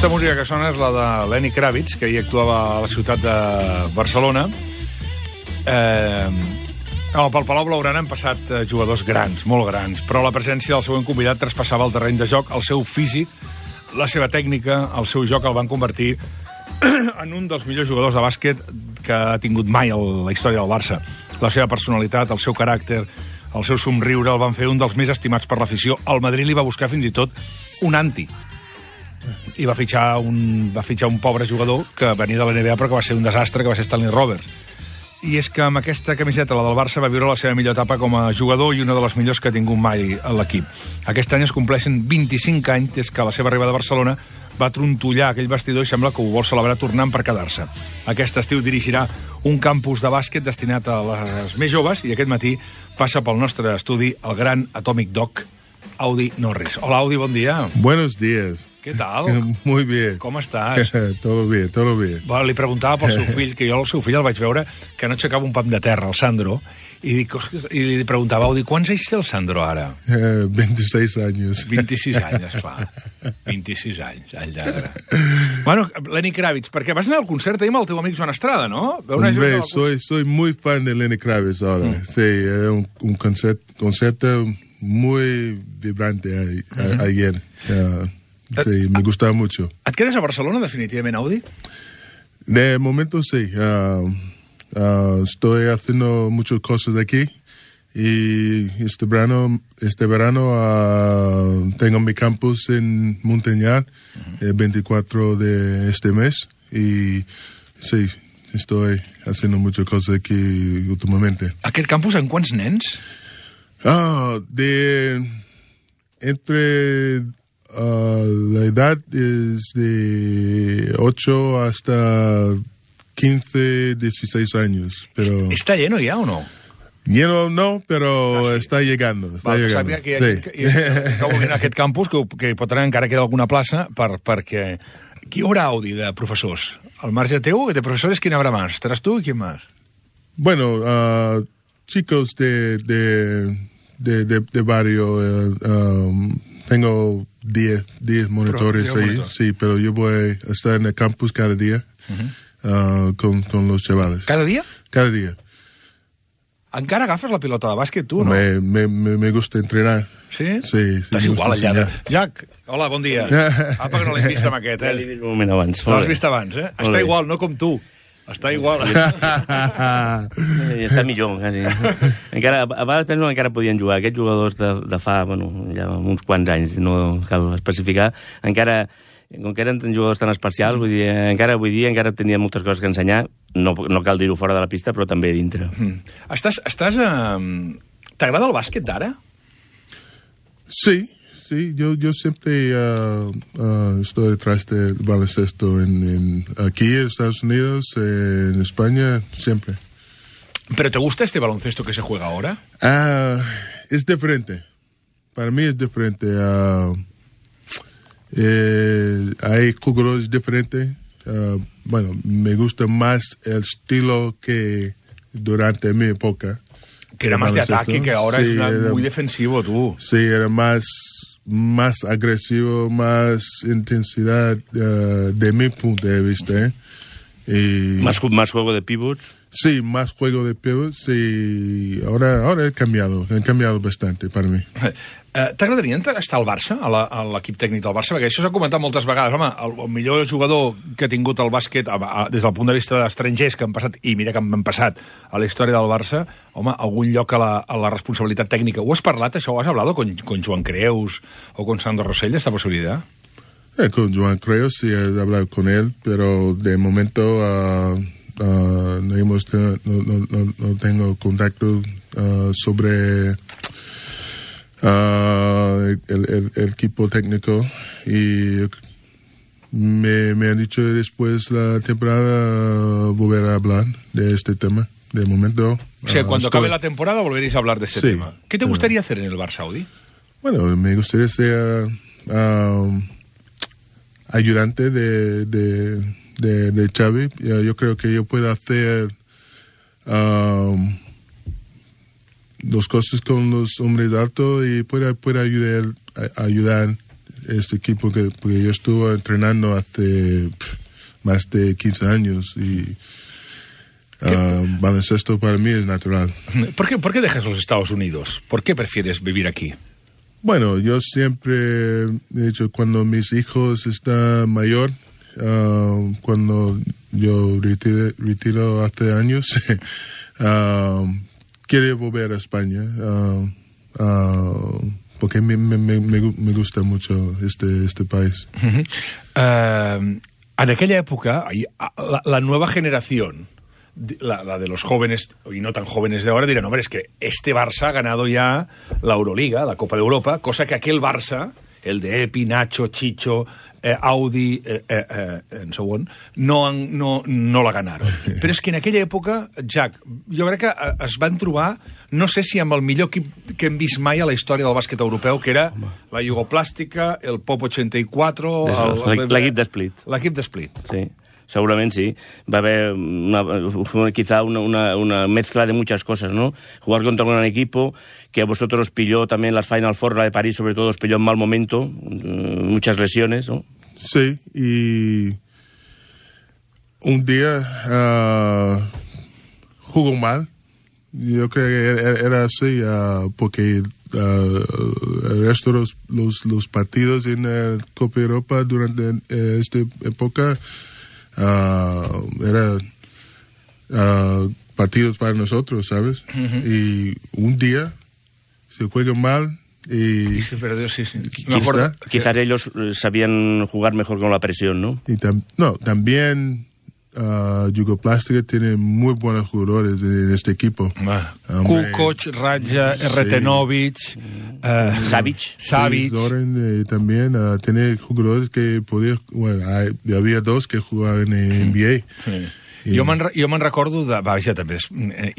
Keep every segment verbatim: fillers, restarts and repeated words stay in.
Aquesta música que sona és la de Lenny Kravitz, que ahir actuava a la ciutat de Barcelona. Eh, no, pel Palau Blaugrana han passat eh, jugadors grans, molt grans, però la presència del següent convidat traspassava el terreny de joc, el seu físic, la seva tècnica, el seu joc el van convertir en un dels millors jugadors de bàsquet que ha tingut mai el, la història del Barça. La seva personalitat, el seu caràcter, el seu somriure el van fer un dels més estimats per l'afició. El Madrid li va buscar fins i tot un anti. I va fitxar un, va fitxar un pobre jugador que venia de la N B A però que va ser un desastre, que va ser Stanley Roberts. I és que amb aquesta camiseta, la del Barça, va viure la seva millor etapa com a jugador i una de les millors que ha tingut mai a l'equip. Aquest any es compleixen vint-i-cinc anys des que la seva arribada a Barcelona va trontollar aquell vestidor i sembla que ho vol celebrar tornant per quedar-se. Aquest estiu dirigirà un campus de bàsquet destinat a les més joves i aquest matí passa pel nostre estudi el gran Atomic Dog, Audi Norris. Hola, Audi, bon dia. Buenos días. ¿Qué tal? Muy bien. Com estàs? Todo bien, todo bien. Bueno, li preguntava pel seu fill, que jo el seu fill el vaig veure que no aixecava un pam de terra, el Sandro, i, dic, i li preguntava, Audi, quants anys té el Sandro ara? Uh, veintiséis años. veintiséis anys, fa. veintiséis anys, all lladre. Bueno, Lenny Kravitz, perquè vas anar al concert ahir amb el teu amic Joan Estrada, ¿no? Hombre, soy, soy muy fan de Lenny Kravitz ahora. Mm. Sí, era un, un concert, concierto muy vibrante a, a, mm-hmm. ayer. Uh, Sí, me gustaba mucho. ¿Et quedes a Barcelona, definitivamente, Audi? De momento sí. Uh, uh, estoy haciendo muchas cosas aquí y este verano, este verano uh, tengo mi campus en Montañar, uh-huh. el veinticuatro de este mes y sí, estoy haciendo muchas cosas aquí últimamente. Aquest campus en quants nens? Ah, uh, de entre... Uh, la edad es de ocho hasta quince, dieciséis años. Pero... ¿Está lleno ya o no? Lleno no, pero ah, sí. està llegando. Està Va, llegando. Sàpiga que, sí. que, que, que vulguin aquest campus, que, que pot tenir encara queda alguna plaça, per, perquè... Qui hi haurà, Audi, de professors? Al marge teu, de professores, ¿quién habrá más? ¿Estaràs tu i quién más? Bueno, uh, chicos de, de, de, de, de barrio... Uh, um, tengo diez, diez monitores pero, ahí, monitor. Sí, pero yo voy a estar en el campus cada día uh-huh. uh, con, con los chavales. ¿Cada día? Cada día. Encara agafes la pilota de bàsquet, tu, no? Me, me, me gusta entrenar. Sí? Sí, sí. Estàs igual allà. De... Jack, hola, bon dia. Apa, que no l'hem vist amb aquest, eh? Ja l'he vist un moment abans. No l'has vist abans, eh? Està bé. Igual, no com tu. Està igual. Està millor, quasi. Encara, a vegades penso que encara podien jugar. Aquests jugadors de, de fa, bueno, ja uns quants anys, no cal especificar, encara, com que eren jugadors tan especials, vull dir, encara avui dia encara tenien moltes coses que ensenyar, no, no cal dir-ho fora de la pista, però també dintre. Mm. Estàs, estàs, uh, t'agrada el bàsquet d'ara? Sí. Sí, yo, yo siempre uh, uh, estoy detrás del baloncesto en, en, aquí en Estados Unidos, en España, siempre. ¿Pero te gusta este baloncesto que se juega ahora? Uh, es diferente. Para mí es diferente. Uh, eh, hay jugadores diferentes. Uh, bueno, me gusta más el estilo que durante mi época. Que era más de ataque, que ahora sí, es una, era, muy defensivo, tú. Sí, era más... más agresivo, más intensidad uh, de mi punto de vista. ¿eh? Y... ¿Más, ¿Más juego de pivots? Sí, más juego de pivots y ahora, ahora he cambiado, he cambiado bastante para mí. Eh, T'agradaria estar al Barça, a l'equip tècnic del Barça? Perquè això s'ha comentat moltes vegades. Home, el, el millor jugador que ha tingut el bàsquet a, a, des del punt de vista d'estrangers que han passat, i mira que han passat a la història del Barça, home, algun lloc a la, a la responsabilitat tècnica. Ho has parlat, això? Ho has hablado con, con Joan Creus o con Sandro Rosell, esta posibilidad? Eh, con Joan Creus sí he hablado con él, pero de momento uh, uh, no, hemos, no, no, no, no tengo contacto uh, sobre... Uh, el, el, el equipo técnico y me, me han dicho después la temporada uh, volver a hablar de este tema. De momento... O sea, uh, cuando estoy... acabe la temporada volveréis a hablar de este sí, tema. ¿Qué te gustaría uh, hacer en el Barça, Audi? Bueno, me gustaría ser uh, ayudante de, de, de, de Xavi. Yo creo que yo puedo hacer... Uh, dos cosas con los hombres altos y puede, puede ayudar, a, ayudar este equipo, que, porque yo estuve entrenando hace pff, más de quince años y uh, baloncesto para mí es natural. ¿Por qué, ¿Por qué dejas los Estados Unidos? ¿Por qué prefieres vivir aquí? Bueno, yo siempre he dicho, cuando mis hijos están mayor, uh, cuando yo retiro, retiro hace años, uh, quiero volver a España, uh, uh, porque me, me, me, me gusta mucho este, este país. Uh-huh. Uh, en aquella época, la, la nueva generación, La, la de los jóvenes y no tan jóvenes de ahora, dirán, hombre, es que este Barça ha ganado ya la Euroliga, la Copa de Europa, cosa que aquel Barça, el de Epi, Nacho, Chicho, eh, Audi, eh, eh, eh, en segon, no, no, no la ganaron. Però és que en aquella època, Jack, jo crec que es van trobar, no sé si amb el millor equip que hem vist mai a la història del bàsquet europeu, que era Home. la Jugoplàstica, el Pop ochenta-quatre... L'equip de Split. L'equip de Split. Sí. Seguramente sí. Va a haber una, quizá una, una, una mezcla de muchas cosas, ¿no? Jugar contra un gran equipo que a vosotros os pilló también las Final Four, la de París sobre todo, os pilló en mal momento, muchas lesiones, ¿no? Sí, y un día uh, jugó mal. Yo creo que era, era así uh, porque uh, el resto de los, los, los partidos en la Copa Europa durante uh, esta época Uh, era uh, partidos para nosotros, ¿sabes? Uh-huh. Y un día se juega mal y... y se perdió, sí, sí. Quizá, quizás ellos sabían jugar mejor con la presión, ¿no? Y tam- no, también uh, Jugoplástica tiene muy buenos jugadores en este equipo. Ah. Kukoc, Radja, sí. Retenovic, uh, Savic. Savic. Sí, Doran, eh, también uh, tiene jugadores que podían... Bueno, hay, había dos que jugaven en N B A. Sí. I... Jo me'n jo me'n recordo de... Vaja, també és,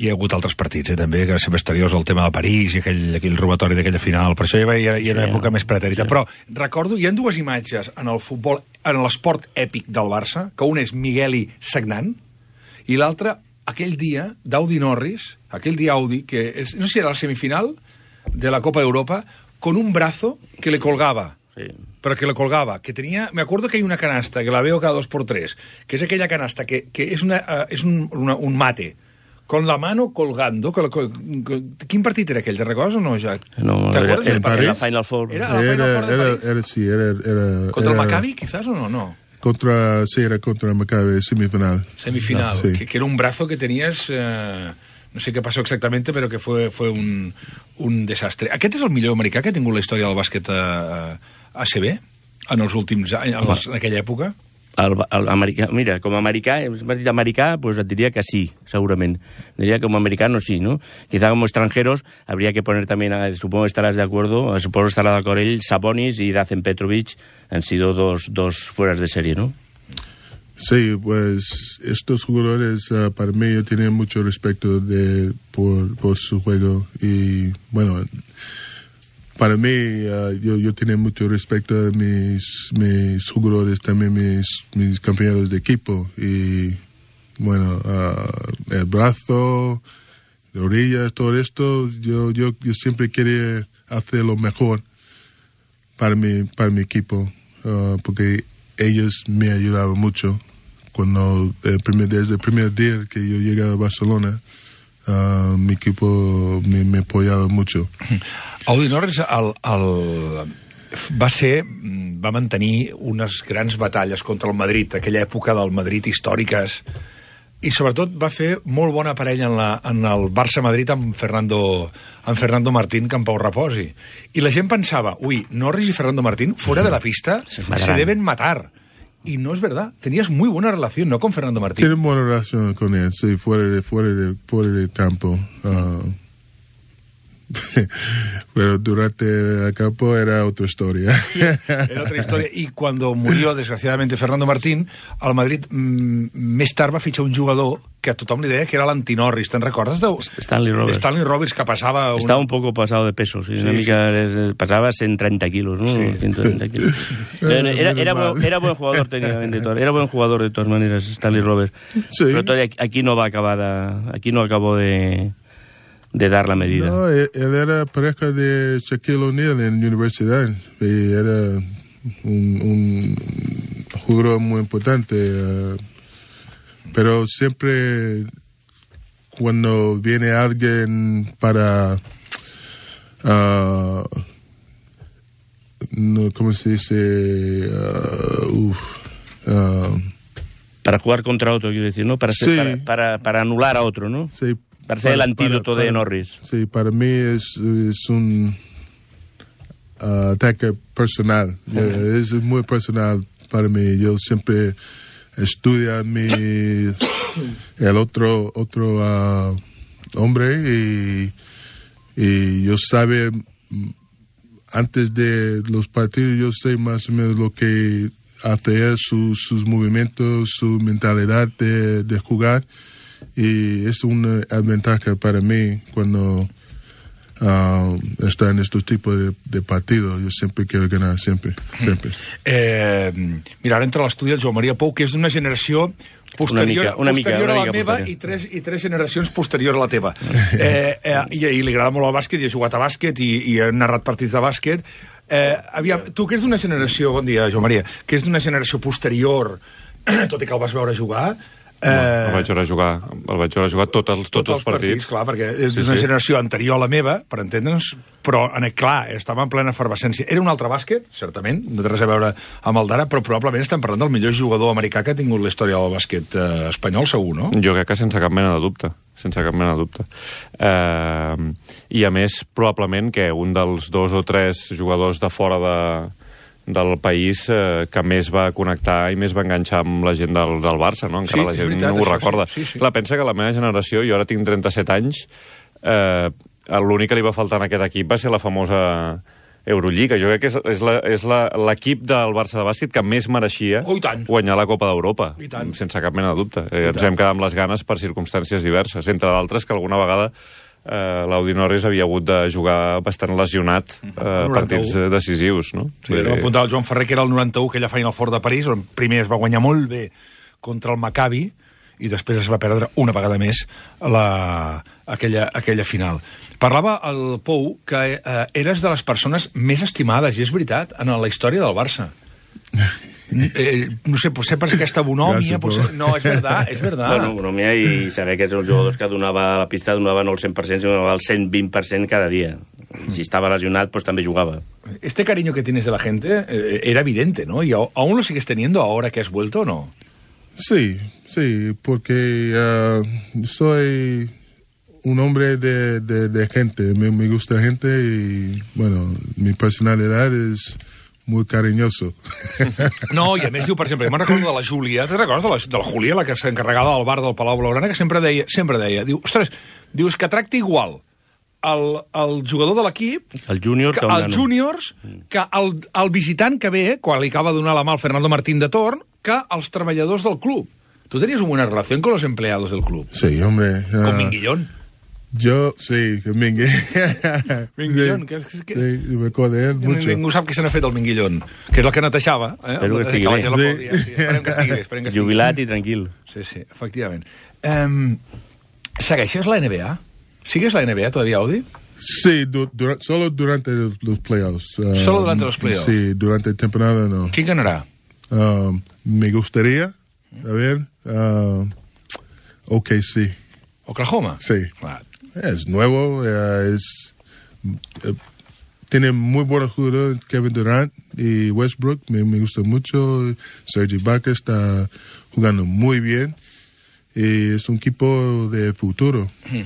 hi ha hagut altres partits, eh, també, que sempre misteriós el tema de París i aquell, aquell robatori d'aquella final. Per això hi ha, hi ha, hi ha una sí, època més pretèrita. Sí. Però recordo, hi ha dues imatges en el futbol, en l'esport èpic del Barça, que un és Migueli sagnant i l'altre, aquell dia, d'Audi Norris, aquell dia Audi, que és, no sé si era la semifinal de la Copa d'Europa, con un brazo que le colgaba. Sí. Pero que le colgaba, que tenía, me acuerdo que hay una canasta, que la veo cada dos por tres, que es aquella canasta que, que es, una, uh, es un, una, un mate, con la mano colgando. Con, con, con, ¿Quin partit era aquell? ¿Te recordes o no, Jack? No, ¿te acuerdas? En París. La Final Four. ¿Era la Final Four de París? Era, era, sí, era, era, ¿Contra era, el Maccabi, quizás, o no? No. Contra, sí, era contra el Maccabi, semifinal. Semifinal, no, sí. que, que era un brazo que tenías... Uh, no sé què passó exactamente, però que fue, fue un, un desastre. Aquest és el millor americà que ha tingut la història del bàsquet a, a C B en els últims anys, en, els, en aquella època? El, el americà, mira, com a americà, m'has dit americà, pues et diria que sí, segurament. Diría que como americano sí, ¿no? Quizá como extranjeros habría que poner también, supongo que estarás de acuerdo, supongo que estará de acuerdo él, Sabonis y Dacen Petrovic han sido dos, dos fueras de serie, ¿no? Sí, pues estos jugadores uh, para mí yo tenía mucho respeto de, por, por su juego y bueno, para mí uh, yo, yo tenía mucho respeto de mis, mis jugadores, también mis, mis compañeros de equipo y bueno, uh, el brazo, las orillas, todo esto, yo, yo, yo siempre quería hacer lo mejor para mi, para mi equipo uh, porque ellos me ayudaban mucho cuando el primer, desde el primer día que yo llegué a Barcelona, uh, mi equipo me, me apoyaba mucho. Audi Norris el, el, va ser, va mantenir unes grans batalles contra el Madrid, aquella època del Madrid històriques, i sobretot va fer molt bona parella en, la, en el Barça-Madrid amb Fernando, amb Fernando Martín, que en pau reposi. I la gent pensava, ui, Norris i Fernando Martín, fuera de la pista, se, se deben matar. Y no es verdad. Tenías muy buena relación, ¿no?, con Fernando Martín. Tiene buena relación con él, sí, fuera de, fuera de, fuera del campo. Uh, pero durante el campo era otra historia. Sí, era otra historia. Y cuando murió, desgraciadamente, Fernando Martín, al Madrid mmm, més tard va fitxar un jugador que a tothom li deia que era l'anti-Norris. Te'n recordes? De... Stanley Roberts. Stanley Roberts, que passava... Un... Estaba un poco pasado de peso, sí, sí, una mica, sí. Pasaba ciento treinta kilos, ¿no? Sí. ciento treinta kilos. Era, era, era, buen, era buen jugador técnicamente, era buen jugador de todas maneras, Stanley Roberts. Sí. Pero todavía aquí no va a acabar, a, aquí no acabó de... de dar la medida. No, él, él era pareja de Shaquille O'Neal en la universidad y era un, un jugador muy importante. Uh, pero siempre cuando viene alguien para... Uh, no, ¿cómo se dice? Uh, uf, uh, para jugar contra otro, quiero decir, ¿no? Para, ser, sí. para, para, para anular a otro, ¿no? Sí. Para ser para, el antídoto para, para, de Norris. Sí, para mí es, es un uh, ataque personal. Uh-huh. Yeah, es muy personal para mí. Yo siempre estudio mi, el otro, otro uh, hombre y, y yo sabe, antes de los partidos, yo sé más o menos lo que hace él, sus, sus movimientos, su mentalidad de, de jugar. Y es una ventaja para mí cuando uh, está en estos tipos de, de partidos. Yo siempre quiero ganar, siempre. siempre. Eh, mira, ara entra a l'estudi el Joan Maria Pou, que és d'una generació posterior, una mica, una posterior mica, a la una mica meva i tres, i tres generacions posterior a la teva. Eh, eh, i, I li agrada molt el bàsquet, i ha jugat a bàsquet, i, i ha narrat partits de bàsquet. Eh, aviam, tu que és d'una generació, bon dia, Joan Maria, que és d'una generació posterior, tot i que el vas veure jugar... Eh... No, el vaig veure jugar, el vaig veure jugar tots els, tots, tots els partits. partits. Clar, perquè és sí, una sí. generació anterior a la meva, per entendre'ns, però, en, clar, estava en plena efervescència. Era un altre bàsquet, certament, no té res a veure amb el d'ara, però probablement estem parlant del millor jugador americà que ha tingut la història del bàsquet eh, espanyol, segur, no? Jo crec que sense cap mena de dubte, sense cap mena de dubte. Eh, I, a més, probablement que un dels dos o tres jugadors de fora de... del país eh, que més va connectar i més va enganxar amb la gent del, del Barça, no? Encara sí, la gent veritat, no ho recorda. Sí, sí, sí. Clar, pensa que la meva generació, jo ara tinc trenta-set anys, eh, l'únic que li va faltar en aquest equip va ser la famosa Eurolliga. Jo crec que és, és, la, és la, l'equip del Barça de bàsquet que més mereixia oh, guanyar la Copa d'Europa, sense cap mena de dubte. Eh, ens vam quedar amb les ganes per circumstàncies diverses, entre d'altres que alguna vegada Uh, l'Audi Norris havia hagut de jugar bastant lesionat uh, partits decisius, no? Sí, vam apuntar el Joan Ferrer, que era el noranta-u, aquella Final Four de París, on primer es va guanyar molt bé contra el Maccabi i després es va perdre una vegada més la, aquella, aquella final. Parlava el Pou que eh, eres de les persones més estimades, i és veritat, en la història del Barça. Eh, no sé, potser per aquesta bonòmia, potser... No, és verdad, és verdad. Bueno, bonòmia i saber que ets els jugadors que donava a la pista, donava no el cent per cent, sinó el cent vint per cent cada dia. Si estava lesionat, pues també jugava. Este cariño que tienes de la gente eh, era evidente, ¿no? ¿Y aún lo sigues teniendo ahora que has vuelto o no? Sí, sí, porque uh, soy un hombre de, de, de gente, me, me gusta gente y, bueno, mi personalidad es... muy cariñoso. No, i a més diu, per exemple, me'n recordo de la Júlia, te recordes de la, de la Júlia, la que s'encarregava del bar del Palau Blaugrana, que sempre deia, sempre deia, diu, ostres, dius que tracta igual el, el jugador de l'equip, el júnior, que, els júniors, que el, el visitant que ve, quan li acaba de donar la mà al Fernando Martín de Torn, que els treballadors del club. Tu tenies una relació con los empleados del club. Sí, hombre. Uh... Con Minguillón. Yo, sí, Mingue. Minguillón, sí, que, que, sí, me acuerdo de él mucho. Ningú sap què se n'ha fet del Minguillón, que és el que netejava. Eh? Espero que estigui bé. Sí. Sí. Esperem que estigui bé. Esperem que estigui Jubilat bé. I tranquil. Sí, sí, efectivament. Um, ¿Segueixes la N B A? ¿Sigues la N B A todavía, Audi? Sí, du dura solo durante los, los playoffs. Uh, ¿Solo durante los playoffs? Sí, durante el temporada no. ¿Quién ganará? Uh, me gustaría, a ver, uh, O K C. ¿Oklahoma? Sí. Claro. Es nuevo, uh, es, uh, tiene muy buenos jugadores, Kevin Durant y Westbrook, me, me gusta mucho. Serge Ibaka está jugando muy bien y es un equipo de futuro. Hmm.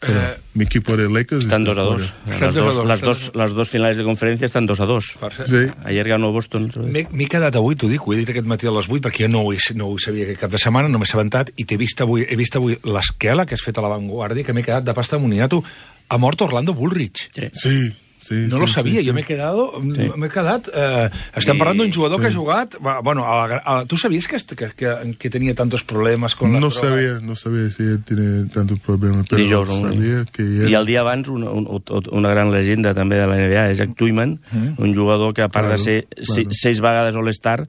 Eh, mi equipo de Lakers están dos a dos. Las dos, las, dos, las dos finales de conferència estan dos a dos. Sí. Ayer ganó Boston. M'he quedat avui, t'ho dic, ho he dit aquest matí a les vuit, perquè jo no ho, no ho sabia aquest cap de setmana, no m'he assabentat, i t'he vist avui, he vist avui l'esquela que has fet a la Vanguardia, que m'he quedat de pasta moniato. Ha mort Orlando Bullrich. Sí. Sí. Sí, no sí, lo sabia, sí, jo sí. m'he quedado, sí. m'he quedat... Eh, estem I... parlant d'un jugador sí. que ha jugat... Bueno, a la, a, ¿tú sabías que, que, que, que tenía tantos problemas con la no droga? Sabía, no sabía si él tiene tantos problemas, pero sí, jo, sabia que él... I el dia abans, una, una gran llegenda també de la N B A, és Jack Twyman, mm. un jugador que a part claro, de ser claro. seis vegades All-Star,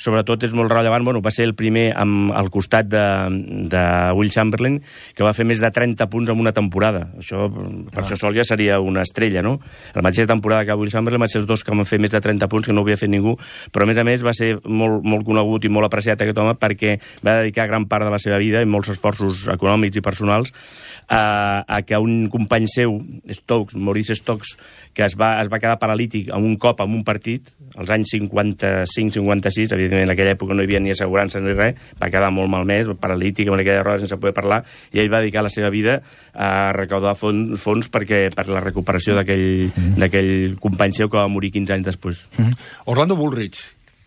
sobretot és molt rellevant, bueno, va ser el primer amb, al costat de, de Will Chamberlain, que va fer més de trenta punts en una temporada. Això, per ah. això sol ja seria una estrella, no? La mateixa temporada que Will Chamberlain va ser els dos que van fer més de trenta punts, que no havia fet ningú, però a més a més va ser molt, molt conegut i molt apreciat aquest home perquè va dedicar gran part de la seva vida i molts esforços econòmics i personals a, a que un company seu, Stokes, Maurice Stokes, que es va, es va quedar paralític en un cop en un partit, als anys cinquanta-cinc cinquanta-sis, evidentment en aquella època no hi havia ni assegurança ni res, va quedar molt malmès, paralític, amb aquella roda sense poder parlar, i ell va dedicar la seva vida a recaudar fons, fons perquè, per la recuperació d'aquell mm-hmm. d'aquell company seu que va morir quinze anys després. Mm-hmm. Orlando Bullrich,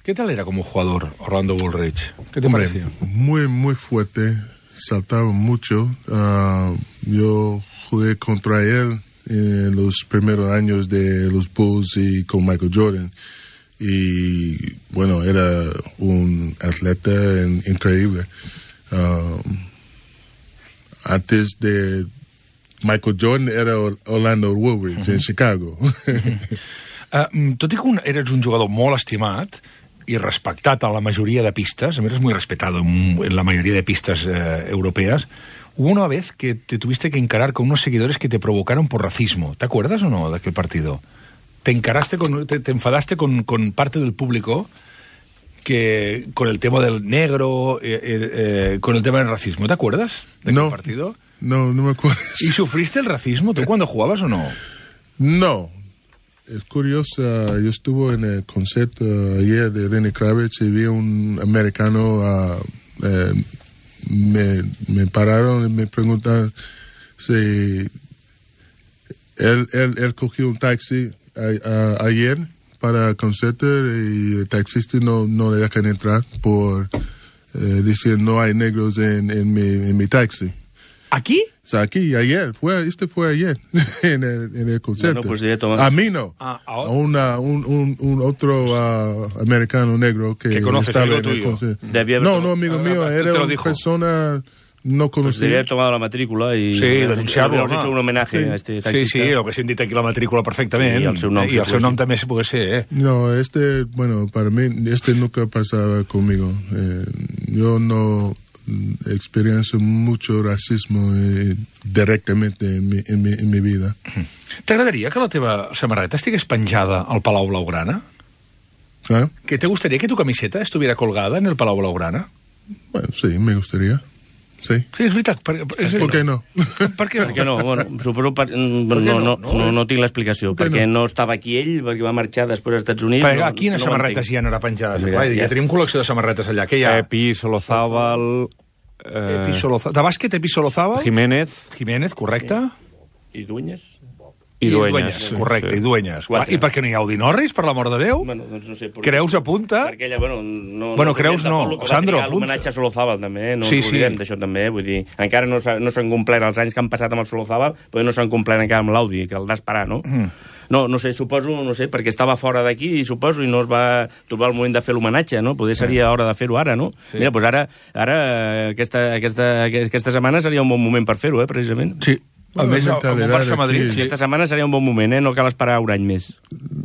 ¿qué tal era como jugador Orlando Bullrich? ¿Qué te Hombre, parecía? Muy, muy fuerte, saltaba mucho. Uh, yo jugué contra él en los primeros años de los Bulls y con Michael Jordan. Y bueno, era un atleta en, increíble. Uh, antes de Michael Jordan era Orlando Woolridge uh-huh. en Chicago. uh, tot i que un, eres un jugador molt estimat y respectat a la mayoría de pistas, eres muy respetado en, en la mayoría de pistas eh, europeas, hubo una vez que te tuviste que encarar con unos seguidores que te provocaron por racismo. ¿Te acuerdas o no de aquel partido? Te encaraste, con, te, te enfadaste con, con parte del público que con el tema del negro, eh, eh, con el tema del racismo. ¿Te acuerdas de no, aquel partido? No, no me acuerdo. ¿Y sufriste el racismo tú cuando jugabas o no? No. Es curioso, yo estuve en el concierto uh, ayer de Lenny Kravitz y vi un americano, uh, uh, me, me pararon y me preguntaron si él, él, él cogió un taxi a, a, ayer para el concierto y el taxista no, no le dejan entrar por eh, decir no hay negros en, en, mi, en mi taxi. ¿Aquí? O sea, aquí, ayer, fue, este fue ayer, en el, en el concierto. Bueno, pues ya toma... A mí no, ah, a una, un, un, un otro uh, americano negro que, que conoces, estaba amigo en el tuyo. concierto. No, no, amigo mío, ah, era una persona no conocida. Pues debía haber tomado la matrícula y... Sí, denunciarlo, hemos hecho un homenaje sí. a este taxista. Sí, sí, lo que se indica aquí la matrícula perfectament. I el seu nom. I el seu nom també se puede ser, eh? No, este, bueno, para mí, este nunca pasaba conmigo. Eh, yo no... experiencia mucho racismo eh, directamente en mi, en, mi, en mi vida. T'agradaria que la teva samarreta estigués penjada al Palau Blaugrana? ¿Ah? ¿Que te gustaría que tu camiseta estuviera colgada en el Palau Blaugrana? Bueno, sí, me gustaría. Sí. Sí, és veritat. Per, és ¿Por qué no? Per què no? Per què no? Bueno, suposo per, no, no, no, no, no tinc l'explicació. Perquè no? no estava aquí ell, perquè va marxar després als Estats Units. Perquè no, quines no samarretes hi ha ara penjades? Mira, ja, ja tenim col·lecció de samarretes allà. Què hi ha? Epi, Solozábal... Eh... Epi Solozábal. De bàsquet, Epi Solozábal. Jiménez. Jiménez, correcte. I Dueñas. I, I Dueñas, Dueñas sí, correcte, sí. I Dueñas. Quatre. I per què no hi ha Audi Norris, per l'amor de Déu? Bueno, doncs no sé. Per... Creus apunta? Perquè ella, bueno... No, bueno, no Creus no. Sandro, apunta. L'homenatge a Solozábal, també, no sí, ens oblidem sí. d'això també, vull dir, encara no s'han no complert els anys que han passat amb el Solozábal, però no s'han complert encara amb l'Audi, que el d'esperar, no? Mm. No, no sé, suposo, no sé, perquè estava fora d'aquí i suposo i no es va trobar el moment de fer l'homenatge, no? Poder seria hora de fer-ho ara, no? Sí. Mira, doncs ara, ara aquesta, aquesta, aquesta setmana seria un bon moment per fer-ho, eh, precisament. Sí. A més, amb un Barça-Madrid. Sí, esta setmana seria un bon moment, eh? No cal esperar un any més.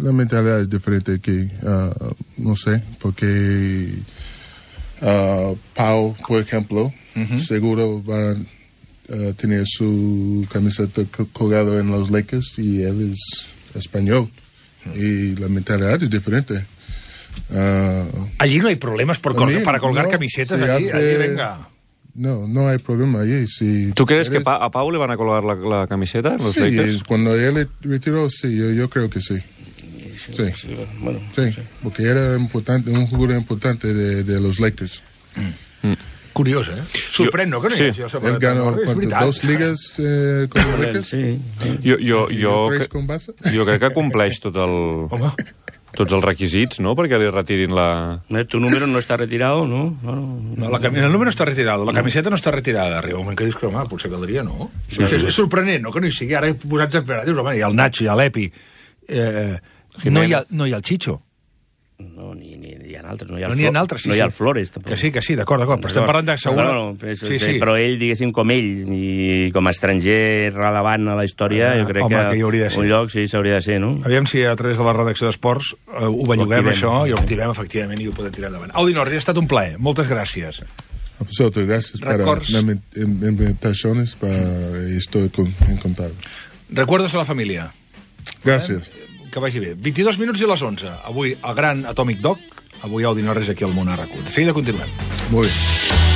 La mentalidad es diferente aquí. Uh, no sé, porque uh, Pau, por ejemplo, uh-huh. seguro va a tener su camiseta colgada en los Lakers y él es español. Uh-huh. Y la mentalidad es diferente. Uh, allí no hay problemas por colgar, para colgar no, camisetas. Si allí, hace... allí, venga... No, no hay problema allí. Si ¿Tú crees eres... que pa a Pau le van a colgar la, la camiseta en los sí, Lakers? Cuando él retiró, sí, yo, yo creo que sí. Sí, sí. Bueno, sí, sí. Porque era importante, un jugador importante de, de los Lakers. Mm. Curiós, eh? Sorprèn, no? Que no sí. Hi ha él ganó dos ligas eh, con los Lakers. Sí. Jo, jo, jo, que, jo crec que compleix tot el... Home. Tots els requisits, ¿no? Perquè li retirin la... Tu número no està retirado, no? No, no, no la cam... El número està retirado, la camiseta no està retirada. Arriba un moment que dius que, home, potser caldria, no? Sí, és, és sorprenent, no? Que no hi sigui. Ara he posat a esperar. Dius, home, hi ha el Nacho, hi ha l'Epi. Eh, no, hi ha, no hi ha el Chicho. No, ni, ni hi ha altres. No hi ha, no el, hi ha Flo altres, sí, no hi ha el sí. Flores, tampoc. Que sí, que sí, d'acord, d'acord, però estem parlant de segur... No, no, no, sí, sí. Però ell, diguéssim, com ell, i com a estranger relevant a la història, Ah, jo crec home, que, que hi hauria de ser. un lloc sí s'hauria de ser, no? Aviam si a través de la redacció d'Esports eh, ho belluguem, activem. això, i ho activem, efectivament, i ho podem tirar endavant. Audi Norris, ha estat un plaer. Moltes gràcies. A vosotros, gracias Records. para las invitaciones, para, y estoy con, encantado. Recuerdos a la família. Gracias. Que vagi bé. vint-i-dos minuts i les onze. Avui el gran Atomic Dog, avui Audi Norris aquí al Món a RAC u. De seguida continuem. Muy bien.